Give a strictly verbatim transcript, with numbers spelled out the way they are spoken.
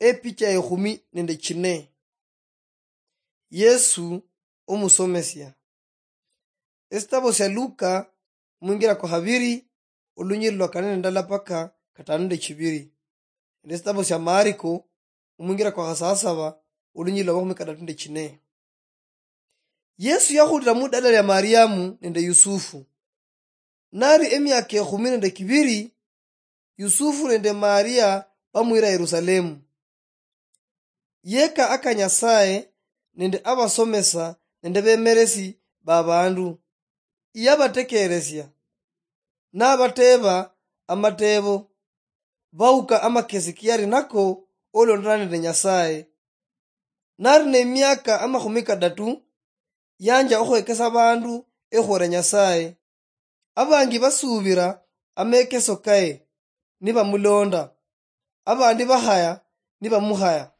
Epicha ya ekhumi nende chine. Yesu omusomesia. Esitabo sia Luka, omwingira kwa khabiri, olunyiri lwa kane nende ndala paka katano nende chibiri. Nende esitabo sia Mariko, omwingira kwa khasasaba, olunyiri lwa makhumi katatu nende chine. Yesu yakhulira mudala lia Mariamu nende Yusufu. Nari emiaka ekhumi nende kibiri, Yusufu nende Maria bamwira Yerusalemu. Yeka aka Nyasaye nende abasomesa nende bemeresi babandu. Yabatekeresia, nabateba amatebo, bauka amakesi kiyari nako olondana nende Nyasaye. Nari nemiaka amakhumi kadatu, yanja okhwekesa abandu ekhwera Nyasaye. Abangi basubira amekeso kaye, nibamulonda, abandi bakhaya, nibamukhaya.